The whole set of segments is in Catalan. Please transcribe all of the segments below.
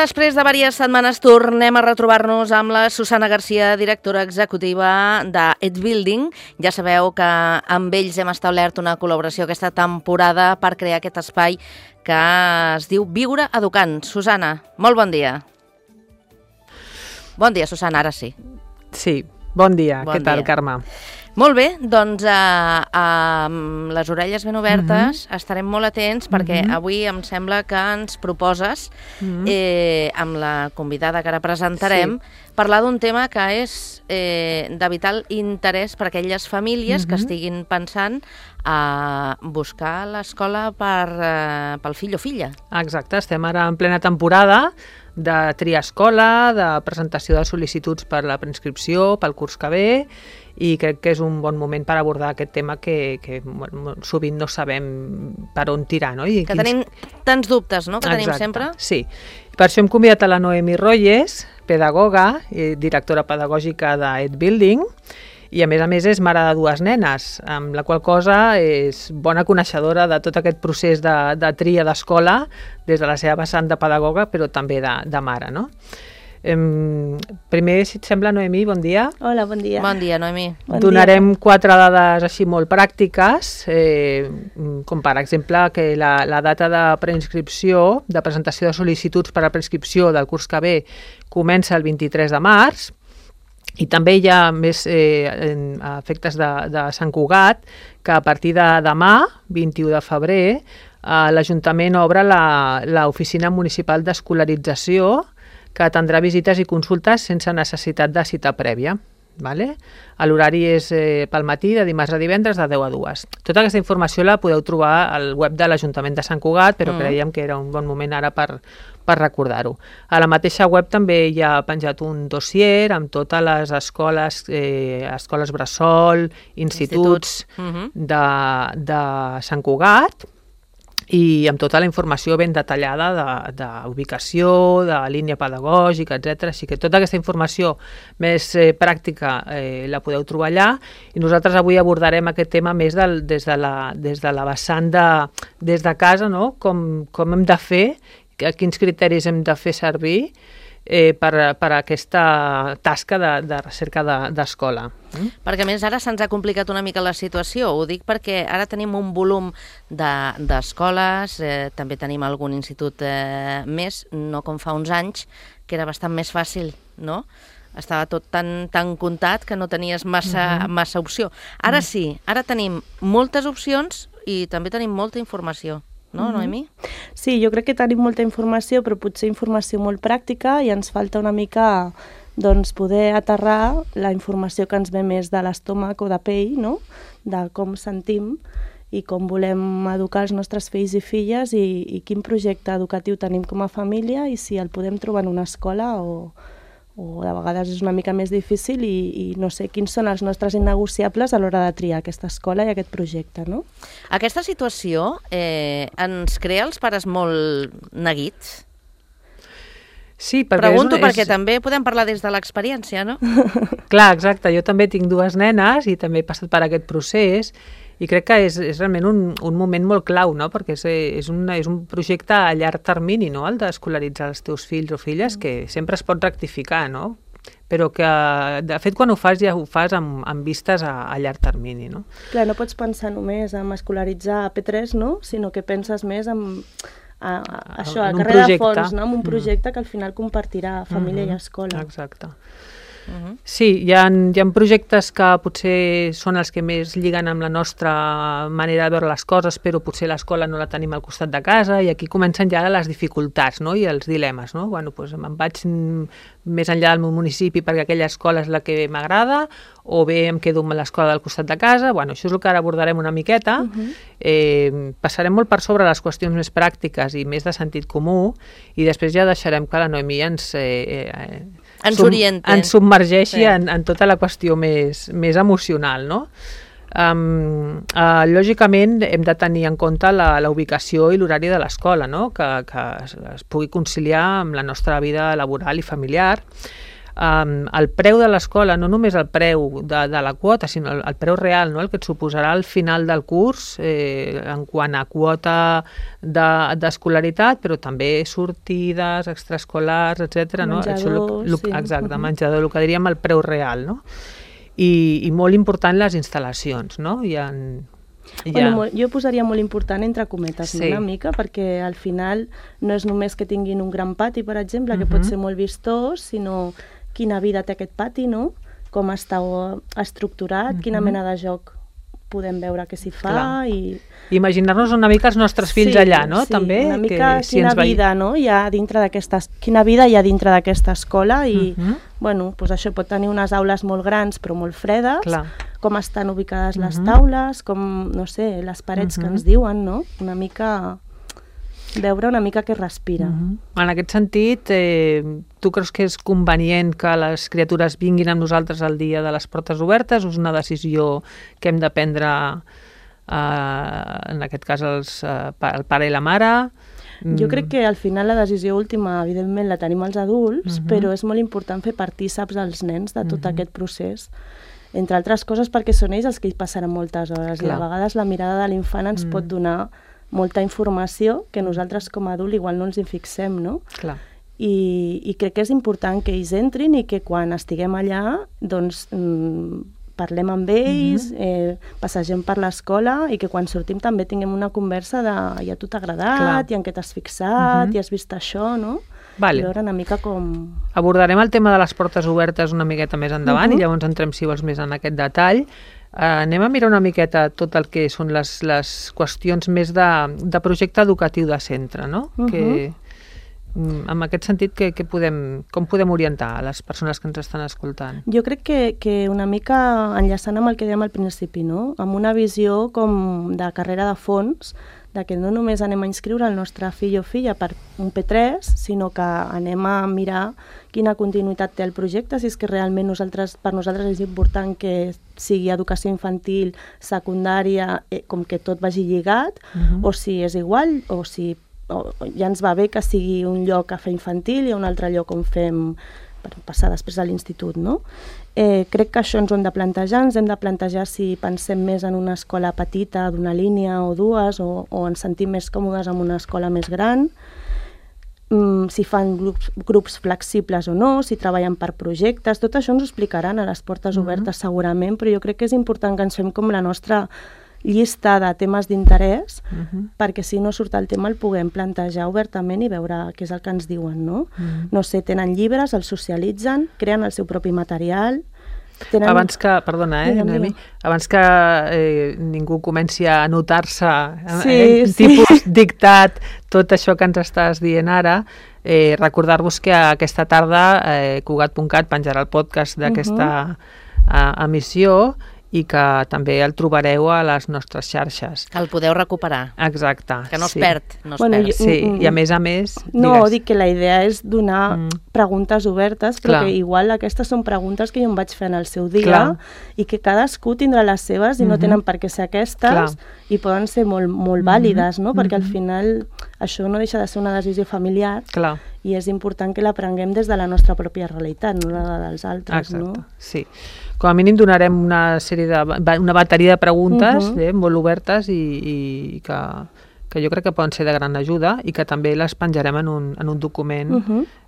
després de diverses setmanes tornem a retrobar-nos amb la Susana Garcia, directora executiva d'Ed Building. Ja sabeu que amb ells hem establert una col·laboració aquesta temporada per crear aquest espai que es diu Viure Educant. Susana, molt bon dia. Bon dia, Susana, ara sí. Sí, bon dia. Què tal, Carme? Molt bé, doncs amb les orelles ben obertes estarem molt atents perquè avui em sembla que ens proposes, amb la convidada que ara presentarem, parlar d'un tema que és de vital interès per a aquelles famílies que estiguin pensant a buscar l'escola pel fill o filla. Exacte, estem ara en plena temporada de triar escola, de presentació de sol·licituds per la preinscripció, pel curs que ve, i crec que és un bon moment per abordar aquest tema que sovint no sabem per on tirar. No? Que tenim tants dubtes, no?, que tenim sempre. Sí. Per això hem convidat a la Noemi Royes, pedagoga i directora pedagògica d'Ed Building, i a més és mare de dues nenes, amb la qual cosa és bona coneixedora de tot aquest procés de tria d'escola des de la seva vessant de pedagoga, però també de mare, no? Primer, si et sembla, Noemi, bon dia. Hola, bon dia. Bon dia, Noemi. Donarem 4 dades així molt pràctiques, com per exemple que la data de preinscripció, de presentació de sol·licituds per a preinscripció del curs que ve comença el 23 de març, i també hi ha més efectes de Sant Cugat, que a partir de demà, 21 de febrer, l'Ajuntament obre l'Oficina Municipal d'Escolarització, que atendrà visites i consultes sense necessitat de cita prèvia. L'horari és pel matí, de dimarts a divendres, de 10 a 2. Tota aquesta informació la podeu trobar al web de l'Ajuntament de Sant Cugat, però creiem que era un bon moment ara per recordar-ho. A la mateixa web també hi ha penjat un dossier amb totes les escoles, escoles bressol, instituts de Sant Cugat, i amb tota la informació ben detallada d'ubicació, de línia pedagògica, etc. Així que tota aquesta informació més pràctica la podeu trobar allà, i nosaltres avui abordarem aquest tema més des de la vessant des de casa, no? Com hem de fer, quins criteris hem de fer servir per a aquesta tasca de recerca d'escola. Perquè a més ara se'ns ha complicat una mica la situació, ho dic perquè ara tenim un volum d'escoles, també tenim algun institut més, no com fa uns anys, que era bastant més fàcil, no? Estava tot tan comptat que no tenies massa opció. Ara sí, ara tenim moltes opcions i també tenim molta informació. No, Noemi? Sí, jo crec que tenim molta informació, però potser informació molt pràctica, i ens falta una mica poder aterrar la informació que ens ve més de l'estómac o de pell, no? De com sentim i com volem educar els nostres fills i filles, i quin projecte educatiu tenim com a família, i si el podem trobar en una escola o de vegades és una mica més difícil, i no sé quins són els nostres innegociables a l'hora de triar aquesta escola i aquest projecte, no? Aquesta situació ens crea els pares molt neguits? Sí, perquè pregunto perquè també podem parlar des de l'experiència, no? Clar, exacte. Jo també tinc dues nenes i també he passat per aquest procés, i crec que és realment un moment molt clau, no? Perquè és un projecte a llarg termini, no? El d'escolaritzar els teus fills o filles, que sempre es pot rectificar, no? Però que, de fet, quan ho fas, ja ho fas amb vistes a llarg termini, no? Clar, no pots pensar només en escolaritzar a P3, no? Sinó que penses més en això, a carrera de fons, no? En un projecte que al final compartirà família i escola. Exacte. Sí, hi ha projectes que potser són els que més lliguen amb la nostra manera de veure les coses, però potser l'escola no la tenim al costat de casa, i aquí comencen ja les dificultats, no? I els dilemes, no? Bueno, doncs me'n vaig més enllà del meu municipi perquè aquella escola és la que m'agrada, o bé em quedo amb l'escola del costat de casa. Bueno, això és el que ara abordarem una miqueta. Passarem molt per sobre les qüestions més pràctiques i més de sentit comú, i després ja deixarem que la Noemi ens submergeixi en tota la qüestió més emocional, no? Lògicament hem de tenir en compte la ubicació i l'horari de l'escola, no? Que es pugui conciliar amb la nostra vida laboral i familiar. el preu de l'escola, no només el preu de la quota, sinó el preu real, no? El que et suposarà al final del curs en quant a quota d'escolaritat, però també sortides, extraescolars, etc. Menjador, no? Exacte, menjador, el que diríem el preu real, no? I molt important les instal·lacions, no? Bueno, jo posaria molt important entre cometes, una mica, perquè al final no és només que tinguin un gran pati, per exemple, que pot ser molt vistós, sinó quina vida té aquest pati, no? Com està estructurat, quina mena de joc podem veure que s'hi fa. Imaginar-nos una mica els nostres fills allà, no? També, una mica quina vida hi ha dintre d'aquesta escola i bueno, doncs això pot tenir unes aules molt grans però molt fredes, com estan ubicades les taules, com, no sé, les parets que ens diuen, no? Una mica veure una mica què respira. En aquest sentit, tu creus que és convenient que les criatures vinguin amb nosaltres el dia de les portes obertes o és una decisió que hem de prendre, en aquest cas, el pare i la mare? Jo crec que al final la decisió última, evidentment, la tenim els adults, però és molt important fer partíceps als nens de tot aquest procés. Entre altres coses perquè són ells els que hi passaran moltes hores i a vegades la mirada de l'infant ens pot donar molta informació que nosaltres com a adult igual no ens hi fixem, no? Clar. I crec que és important que ells entrin i que quan estiguem allà, doncs, parlem amb ells, passegem per l'escola i que quan sortim també tinguem una conversa de i a tu t'ha agradat, i en què t'has fixat, i has vist això, no? Vale. I veure una mica com... Abordarem el tema de les portes obertes una miqueta més endavant i llavors entrem, si vols, més en aquest detall. Anem a mirar una miqueta tot el que són les qüestions més de projecte educatiu de centre, no? Que, en aquest sentit, com podem orientar a les persones que ens estan escoltant? Jo crec que una mica enllaçant amb el que dèiem al principi, no? Amb una visió com de carrera de fons, de que no només anem a inscriure el nostre fill o filla per un P3, sinó que anem a mirar quina continuïtat té el projecte, si és que realment per nosaltres és important que sigui educació infantil, secundària, com que tot vagi lligat, o si és igual, o si ja ens va bé que sigui un lloc a fer infantil i un altre lloc on fem per passar després a l'institut, no? Crec que això ens ho hem de plantejar, ens hem de plantejar si pensem més en una escola petita d'una línia o dues, o ens sentim més còmodes en una escola més gran, si fan grups flexibles o no, si treballen per projectes, tot això ens ho explicaran a les portes obertes segurament, però jo crec que és important que ens fem com la nostra llista de temes d'interès, perquè si no surt el tema el puguem plantejar obertament i veure què és el que ens diuen, no? No sé, tenen llibres, els socialitzen, creen el seu propi material... Abans que, perdona, Noemi, abans que ningú comenci a anotar-se tipus dictat tot això que ens estàs dient ara, recordar-vos que aquesta tarda Cugat.cat penjarà el podcast d'aquesta emissió i que també el trobareu a les nostres xarxes. Que el podeu recuperar. Exacte. Que no es perd. Sí, i a més, no, dic que la idea és donar preguntes obertes, però que igual aquestes són preguntes que jo em vaig fer en el seu dia i que cadascú tindrà les seves i no tenen per què ser aquestes i poden ser molt vàlides, no? Perquè al final això no deixa de ser una decisió familiar i és important que l'aprenguem des de la nostra pròpia realitat, no la dels altres, no? Exacte, sí. Com a mínim donarem una bateria de preguntes molt obertes i que jo crec que poden ser de gran ajuda i que també les penjarem en un document,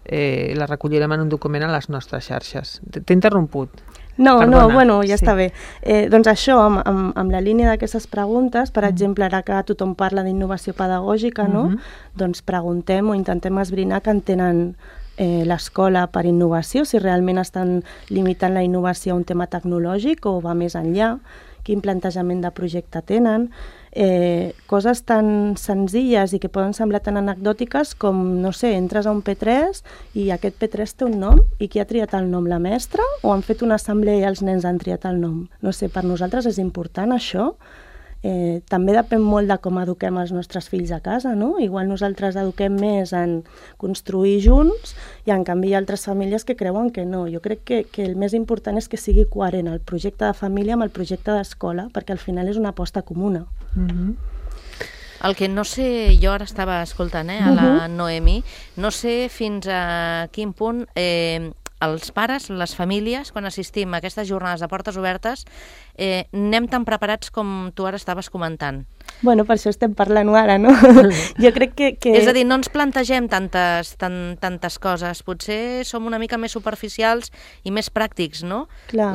les recollirem en un document a les nostres xarxes. T'he interromput. No, bueno, ja està bé. Doncs això, amb la línia d'aquestes preguntes, per exemple, ara que tothom parla d'innovació pedagògica, no? Doncs preguntem o intentem esbrinar que entenen l'escola per innovació, si realment estan limitant la innovació a un tema tecnològic o va més enllà, quin plantejament de projecte tenen, coses tan senzilles i que poden semblar tan anecdòtiques com, no sé, entres a un P3 i aquest P3 té un nom i qui ha triat el nom, la mestra, o han fet una assemblea i els nens han triat el nom? No sé, per nosaltres és important això. També depèn molt de com eduquem els nostres fills a casa, no? Igual nosaltres eduquem més en construir junts i en canvi hi ha altres famílies que creuen que no. Jo crec que el més important és que sigui coherent el projecte de família amb el projecte d'escola, perquè al final és una aposta comuna. El que no sé, jo ara estava escoltant a la Noemi, no sé fins a quin punt els pares, les famílies, quan assistim a aquestes jornades de portes obertes, anem tan preparats com tu ara estaves comentant. Bueno, per això estem parlant ara, no? Jo crec que... És a dir, no ens plantegem tantes coses. Potser som una mica més superficials i més pràctics, no? Clar.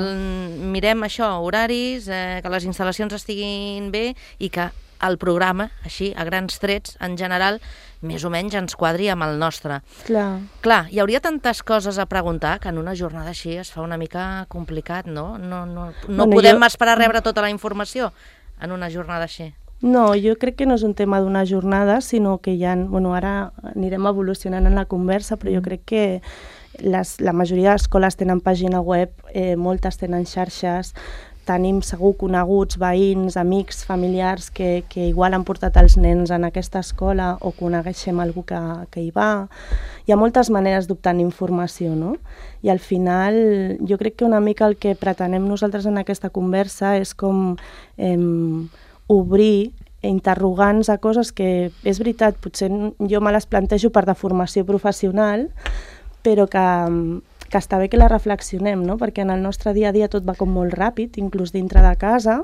Mirem això, horaris, que les instal·lacions estiguin bé i que el programa, així, a grans trets, en general, més o menys ens quadri amb el nostre. Clar, hi hauria tantes coses a preguntar que en una jornada així es fa una mica complicat, no? No podem esperar a rebre tota la informació en una jornada així. No, jo crec que no és un tema d'una jornada, sinó que ara anirem evolucionant en la conversa, però jo crec que la majoria d'escoles tenen pàgina web, moltes tenen xarxes, tenim segur coneguts, veïns, amics, familiars que igual han portat els nens en aquesta escola o coneixem algú que hi va. Hi ha moltes maneres d'obtenir informació, no? I al final jo crec que una mica el que pretenem nosaltres en aquesta conversa és com obrir interrogants a coses que, és veritat, potser jo me les plantejo per de formació professional, però que està bé que la reflexionem, no? Perquè en el nostre dia a dia tot va com molt ràpid, inclús dintre de casa,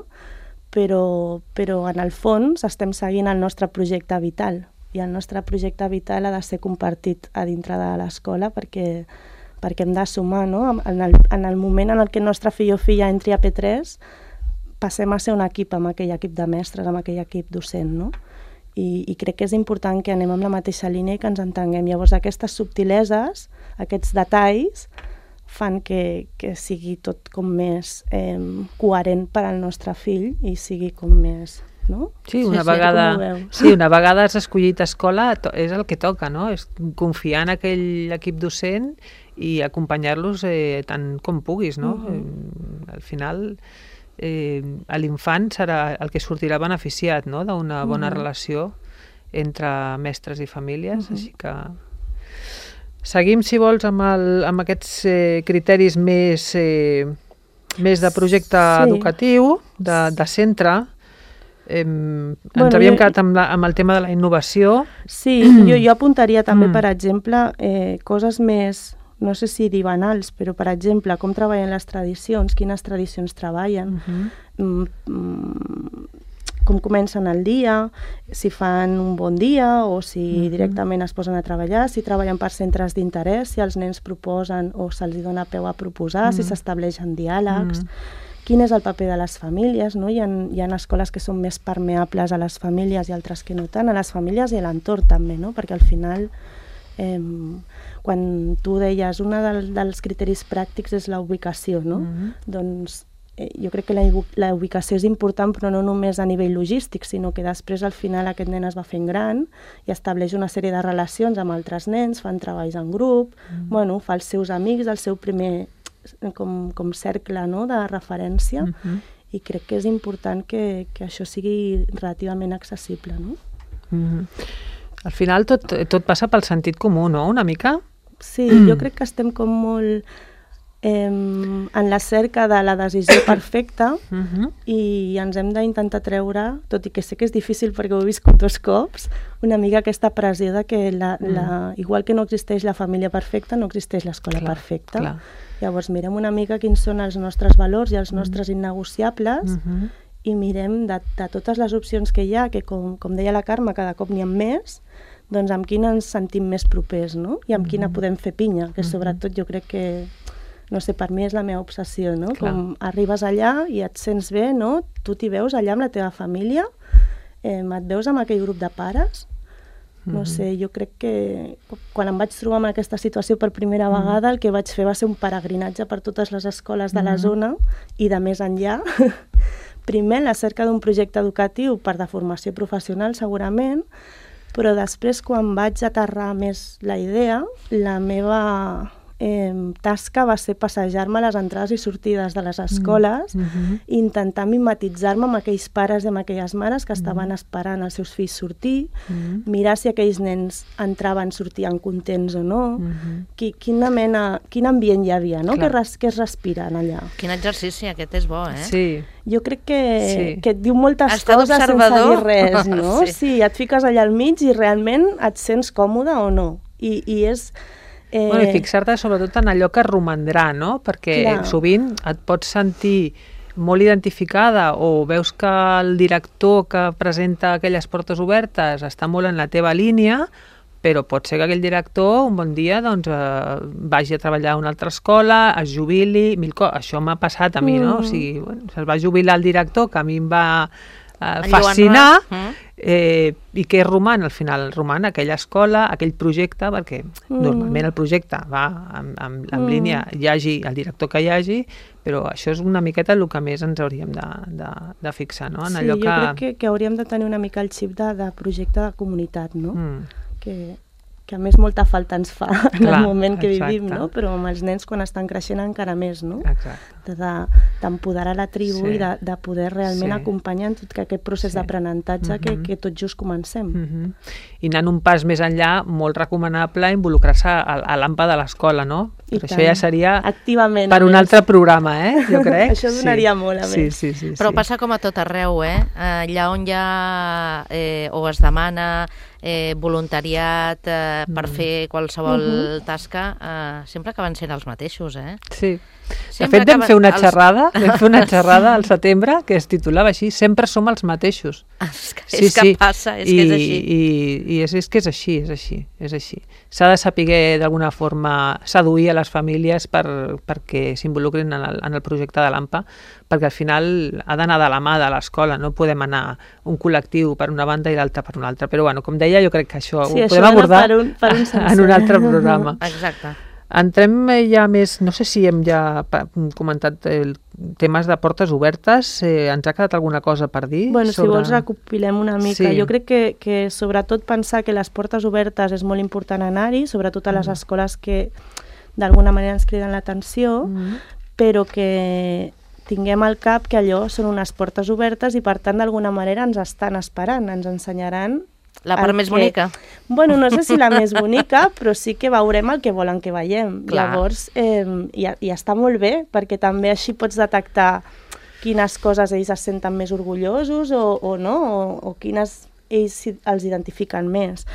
però en el fons estem seguint el nostre projecte vital, i el nostre projecte vital ha de ser compartit a dintre de l'escola perquè hem de sumar, no? En el moment en el que el nostre fill o filla entri a P3, passem a ser un equip amb aquell equip de mestres, amb aquell equip docent, no? I crec que és important que anem amb la mateixa línia i que ens entenguem. Llavors aquestes subtileses, aquests detalls, fan que sigui tot com més coherent per al nostre fill i sigui com més... No? Sí, una vegada has escollit escola és el que toca, no? És confiar en aquell equip docent i acompanyar-los tant com puguis, no? Al final... l'infant serà el que sortirà beneficiat, no? D'una bona relació entre mestres i famílies, així que seguim, si vols, amb aquests criteris més de projecte educatiu, de centre. Ens havíem quedat amb el tema de la innovació. Sí, jo apuntaria també, per exemple, coses més... no sé si dir banals, però, per exemple, com treballen les tradicions, quines tradicions treballen, com comencen el dia, si fan un bon dia o si directament es posen a treballar, si treballen per centres d'interès, si els nens proposen o se'ls dona peu a proposar, si s'estableixen diàlegs, quin és el paper de les famílies, no? Hi ha escoles que són més permeables a les famílies i altres que no tant, a les famílies i a l'entorn també, no? Perquè al final... quan tu deies un dels criteris pràctics és la ubicació, no? Doncs jo crec que la ubicació és important, però no només a nivell logístic, sinó que després al final aquest nen es va fent gran i estableix una sèrie de relacions amb altres nens, fan treballs en grup, bueno, fa els seus amics, el seu primer com cercle, no?, de referència, i crec que és important que això sigui relativament accessible, no? Al final tot passa pel sentit comú, no?, una mica? Sí, jo crec que estem com molt en la cerca de la decisió perfecta i ens hem d'intentar treure, tot i que sé que és difícil perquè ho he viscut 2 cops, una mica aquesta pressió de que igual que no existeix la família perfecta, no existeix l'escola perfecta. Clar. Llavors mirem una mica quins són els nostres valors i els nostres innegociables i mirem de totes les opcions que hi ha, que com deia la Carme, cada cop n'hi ha més, doncs amb quina ens sentim més propers, no? I amb quina podem fer pinya, que sobretot jo crec que, no sé, per mi és la meva obsessió, no? Clar. Com arribes allà i et sents bé, no? Tu t'hi veus allà amb la teva família, et veus amb aquell grup de pares, no sé, jo crec que quan em vaig trobar en aquesta situació per primera vegada, el que vaig fer va ser un peregrinatge per totes les escoles de la zona i de més enllà. Primer, la cerca d'un projecte educatiu per de formació professional, segurament, però després, quan vaig aterrar més la idea, la meva tasca va ser passejar-me a les entrades i sortides de les escoles i intentar mimetitzar-me amb aquells pares i amb aquelles mares que estaven esperant els seus fills sortir, mirar si aquells nens entraven, sortien contents o no, quin ambient hi havia, no? Què es respira allà. Quin exercici, aquest és bo, eh? Sí. Jo crec que et diu moltes coses sense dir res, no? Sí, et fiques allà al mig i realment et sents còmode o no. I és I fixar-te sobretot en allò que romandrà, no? Perquè sovint et pots sentir molt identificada o veus que el director que presenta aquelles portes obertes està molt en la teva línia, però pot ser que aquell director un bon dia vagi a treballar a una altra escola, es jubili, això m'ha passat a mi, no? O sigui, es va jubilar el director, que a mi em va fascinar, i què roman? Al final roman aquella escola, aquell projecte, perquè normalment el projecte va en línia, hi hagi el director que hi hagi, però això és una miqueta el que més ens hauríem de fixar, no? En allò jo crec que hauríem de tenir una mica el xip de projecte de comunitat, no? Que a més molta falta ens fa en el moment que vivim, no? Però amb els nens quan estan creixent encara més, no? D'empoderar la tribu i de poder realment acompanyar en tot aquest procés d'aprenentatge que tot just comencem. I anant un pas més enllà, molt recomanable involucrar-se a l'AMPA de l'escola, no? Però això ja seria per un altre programa, jo crec. Això donaria molt, a més. Però passa com a tot arreu, allà on hi ha o es demana voluntariat per fer qualsevol tasca, sempre acaben sent els mateixos, Sí. De fet, vam fer una xerrada al setembre que es titulava així, sempre som els mateixos. És que passa, és que és així. I és que és així. S'ha de saber d'alguna forma seduir a les famílies perquè s'involucrin en el projecte de l'AMPA, perquè al final ha d'anar de la mà de l'escola, no podem anar un col·lectiu per una banda i l'altre per una altra. Però bueno, com deia, jo crec que això ho podem abordar en un altre programa. Exacte. Entrem ja més, no sé si hem ja comentat temes de portes obertes, ens ha quedat alguna cosa per dir? Si vols recopilem una mica. Jo crec que sobretot pensar que les portes obertes és molt important anar-hi, sobretot a les escoles que d'alguna manera ens criden l'atenció, però que tinguem al cap que allò són unes portes obertes i per tant d'alguna manera ens estan esperant, ens ensenyaran la part més bonica. Bueno, no sé si la més bonica, però sí que veurem el que volen que veiem. Llavors, i està molt bé, perquè també així pots detectar quines coses ells es senten més orgullosos o no, o quines ells els identifiquen més.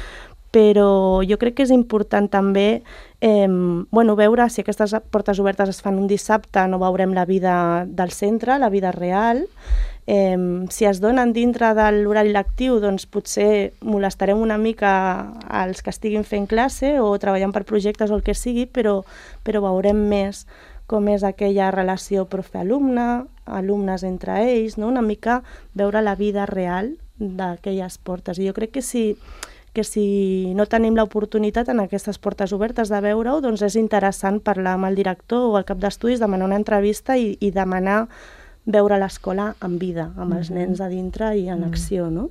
Però jo crec que és important també veure si aquestes portes obertes es fan un dissabte, no veurem la vida del centre, la vida real. Si es donen dintre de l'horari lectiu, doncs potser molestarem una mica als que estiguin fent classe o treballant per projectes o el que sigui, però veurem més com és aquella relació profe-alumne, alumnes entre ells, no? Una mica veure la vida real d'aquelles portes. I jo crec que si no tenim l'oportunitat en aquestes portes obertes de veure-ho, doncs és interessant parlar amb el director o el cap d'estudis, demanar una entrevista i demanar veure l'escola en vida, amb els nens a dintre i en acció, no?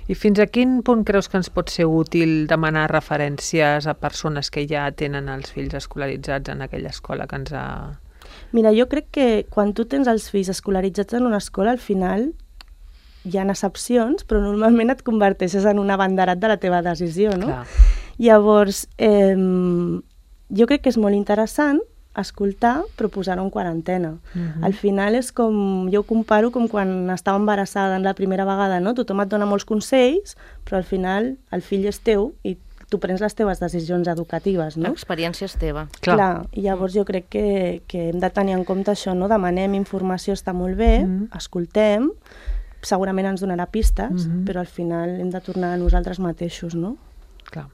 I fins a quin punt creus que ens pot ser útil demanar referències a persones que ja tenen els fills escolaritzats en aquella escola que ens ha... Mira, jo crec que quan tu tens els fills escolaritzats en una escola, al final hi ha excepcions, però normalment et converteixes en un abanderat de la teva decisió, no? Clar. Llavors, jo crec que és molt interessant escoltar, però posar-ho en quarantena. Al final és com, jo ho comparo com quan estava embarassada en la primera vegada, no? Tothom et dona molts consells, però al final el fill és teu i tu prens les teves decisions educatives, no? L'experiència és teva. Clar. I llavors jo crec que hem de tenir en compte això, no? Demanem informació, està molt bé, escoltem, segurament ens donarà pistes, però al final hem de tornar a nosaltres mateixos, no? Clar.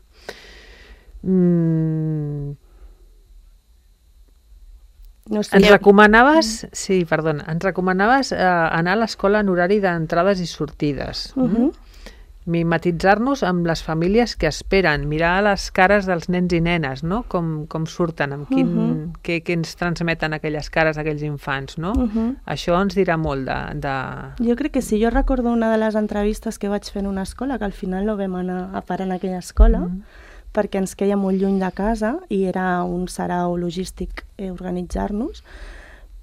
No sé. Ens recomanaves anar a l'escola en horari d'entrades i sortides. Mimetitzar-nos amb les famílies que esperen, mirar les cares dels nens i nenes, no? Com surten, amb què ens transmeten aquelles cares, aquells infants, no? Això ens dirà molt de... Jo crec que sí, jo recordo una de les entrevistes que vaig fer en una escola, que al final no vam anar a parar en aquella escola, perquè ens queia molt lluny de casa i era un sarau logístic organitzar-nos,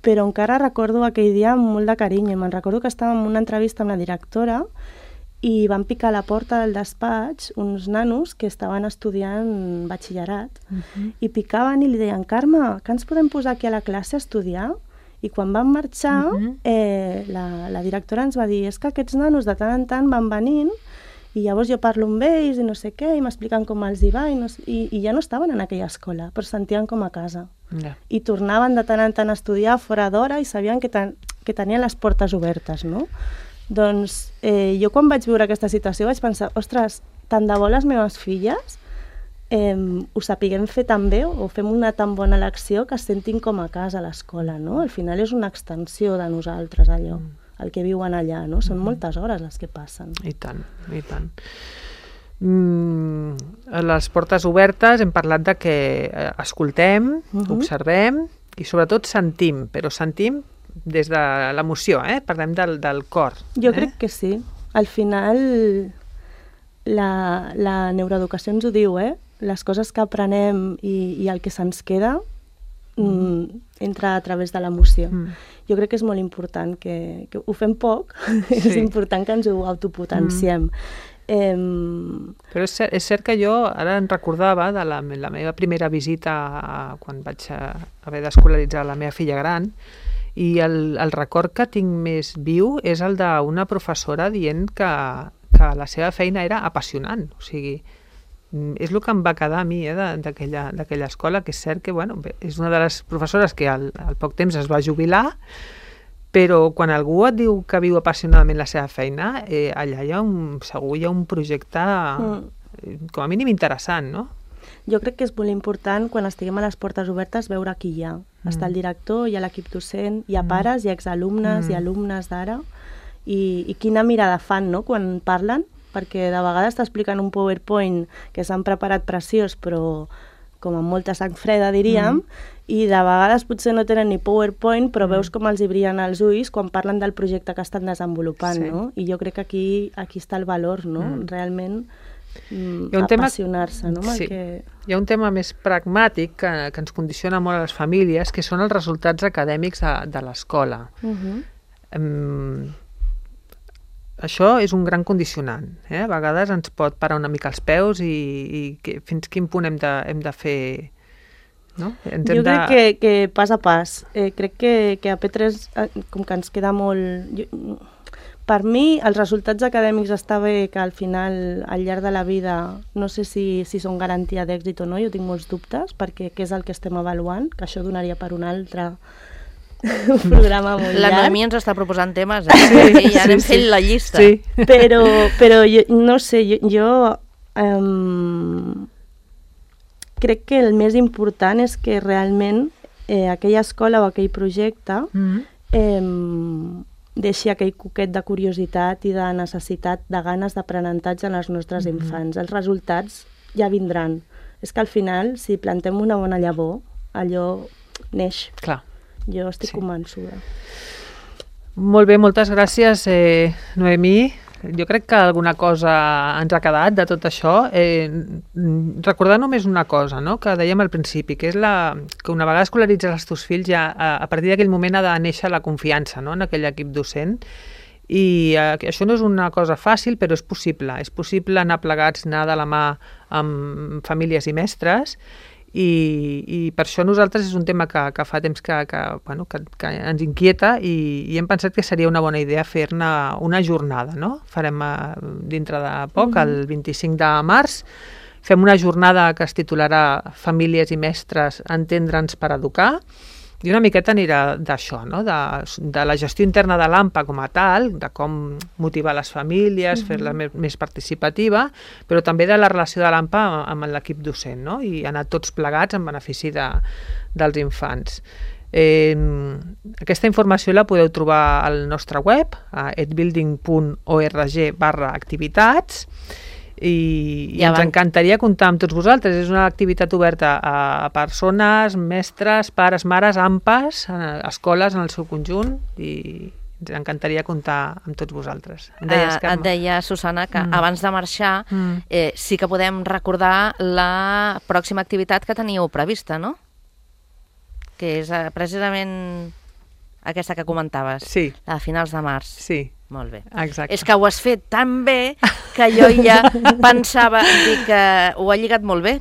però encara recordo aquell dia amb molt de carinyo. Me'n recordo que estàvem en una entrevista amb la directora i van picar a la porta del despatx uns nanos que estaven estudiant batxillerat i picaven i li deien: Carme, que ens podem posar aquí a la classe a estudiar? I quan van marxar, la directora ens va dir: és que aquests nanos de tant en tant van venint I llavors jo parlo amb ells i no sé què, i m'expliquen com els hi va, i ja no estaven en aquella escola, però es sentien com a casa. I tornaven de tant en tant a estudiar fora d'hora i sabien que tenien les portes obertes, no? Doncs jo quan vaig viure aquesta situació vaig pensar, ostres, tant de bo les meves filles ho sapiguem fer tan bé o fem una tan bona elecció que es sentin com a casa a l'escola, no? Al final és una extensió de nosaltres, allò, el que viuen allà, no? Són moltes hores les que passen. I tant, i tant. A les portes obertes hem parlat de que escoltem, observem i sobretot sentim, però sentim des de l'emoció, parlem del cor. Jo crec que sí. Al final la neuroeducació ens ho diu, les coses que aprenem i el que se'ns queda entra a través de l'emoció. Jo crec que és molt important, que ho fem poc, és important que ens ho autopotenciem. Però és cert que jo ara em recordava de la meva primera visita quan vaig haver d'escolaritzar la meva filla gran, i el record que tinc més viu és el d'una professora dient que la seva feina era apassionant, o sigui, és el que em va quedar a mi d'aquella escola, que és cert que és una de les professores que al poc temps es va jubilar, però quan algú et diu que viu apassionadament la seva feina, allà segur hi ha un projecte com a mínim interessant, no? Jo crec que és molt important, quan estiguem a les portes obertes, veure qui hi ha. Està el director, hi ha l'equip docent, hi ha pares, hi ha exalumnes, hi ha alumnes d'ara, i quina mirada fan, no?, quan parlen, perquè de vegades t'expliquen un PowerPoint que s'han preparat preciós, però com amb molta sang freda, diríem, i de vegades potser no tenen ni PowerPoint, però veus com els hi brillen els ulls quan parlen del projecte que estan desenvolupant, no? I jo crec que aquí està el valor, no?, realment apassionar-se, no? Hi ha un tema més pragmàtic que ens condiciona molt a les famílies, que són els resultats acadèmics de l'escola. Això és un gran condicionant. A vegades ens pot parar una mica els peus i fins quin punt hem de fer... No? Jo crec que pas a pas. Crec que a P3 com que ens queda molt... Per mi, els resultats acadèmics està bé que al final, al llarg de la vida, no sé si són garantia d'èxit o no, jo tinc molts dubtes, perquè què és el que estem avaluant, que això donaria per un altre programa molt llarg. La Noemí ens està proposant temes, i ja anem fent la llista. Sí. Però jo, no sé, jo crec que el més important és que realment aquella escola o aquell projecte deixi aquell coquet de curiositat i de necessitat, de ganes d'aprenentatge en els nostres infants. Els resultats ja vindran. És que al final, si plantem una bona llavor, allò neix. Clar. Jo estic convençuda. Molt bé, moltes gràcies, Noemí. Jo crec que alguna cosa ens ha quedat de tot això. Recordar només una cosa, no?, que dèiem al principi, que és que una vegada escolaritzes els teus fills, ja a partir d'aquell moment ha de néixer la confiança, no?, en aquell equip docent. I això no és una cosa fàcil, però és possible. És possible anar plegats, anar de la mà amb famílies i mestres, i per això nosaltres és un tema que fa temps que ens inquieta, i hem pensat que seria una bona idea fer-ne una jornada, no? Farem dintre de poc, el 25 de març, fem una jornada que es titularà Famílies i mestres, entendre'ns per educar, i una miqueta anirà d'això, no?, de la gestió interna de l'AMPA com a tal, de com motivar les famílies, fer-la més participativa, però també de la relació de l'AMPA amb l'equip docent, no?, i anar tots plegats en benefici dels infants. Aquesta informació la podeu trobar al nostre web, a edbuilding.org/activitats, i ens encantaria comptar amb tots vosaltres. És una activitat oberta a persones, mestres, pares, mares, AMPAs, escoles en el seu conjunt, i ens encantaria comptar amb tots vosaltres. Et deia, Susana, que abans de marxar sí que podem recordar la pròxima activitat que teníeu prevista, no? Que és precisament aquesta que comentaves, sí, a finals de març. Sí. Molt bé. Exacte. És que ho has fet tan bé que jo ja pensava que ho ha lligat molt bé.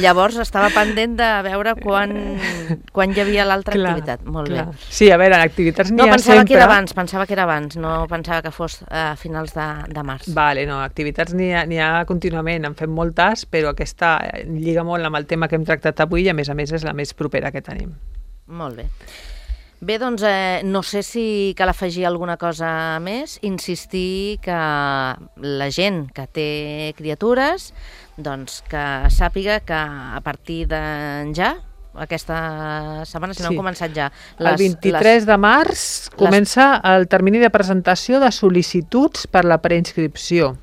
Llavors estava pendent de veure quan hi havia l'altra activitat. Molt bé. Sí, a veure, activitats n'hi ha sempre. No, pensava que era abans, no pensava que fos a finals de març. Vale, no, activitats n'hi ha contínuament, en fem moltes, però aquesta lliga molt amb el tema que hem tractat avui i a més és la més propera que tenim. Molt bé. Bé, doncs no sé si cal afegir alguna cosa més, insistir que la gent que té criatures doncs que sàpiga que a partir d'enjà, aquesta setmana, si no hem començat ja... El 23 de març comença el termini de presentació de sol·licituds per la preinscripció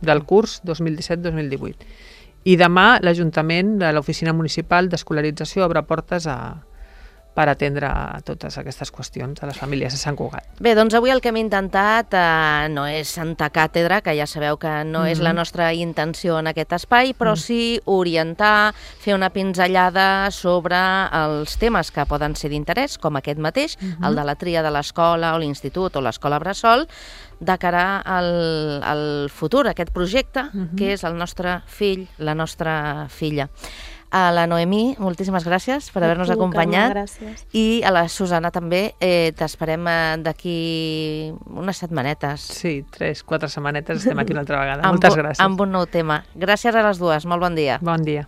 del curs 2017-2018. I demà l'Ajuntament de l'Oficina Municipal d'Escolarització obre portes per atendre totes aquestes qüestions de les famílies de Sant Cugat. Bé, doncs avui el que hem intentat no és Santa Càtedra, que ja sabeu que no és la nostra intenció en aquest espai, però sí orientar, fer una pinzellada sobre els temes que poden ser d'interès, com aquest mateix, el de la tria de l'escola o l'institut o l'escola bressol, de cara al futur, aquest projecte, que és el nostre fill, la nostra filla. A la Noemí, moltíssimes gràcies per haver-nos acompanyat. Gràcies. I a la Susana també, t'esperem d'aquí unes setmanetes. Sí, 3-4 setmanetes estem aquí una altra vegada. Moltes gràcies. Amb un nou tema. Gràcies a les dues, molt bon dia. Bon dia.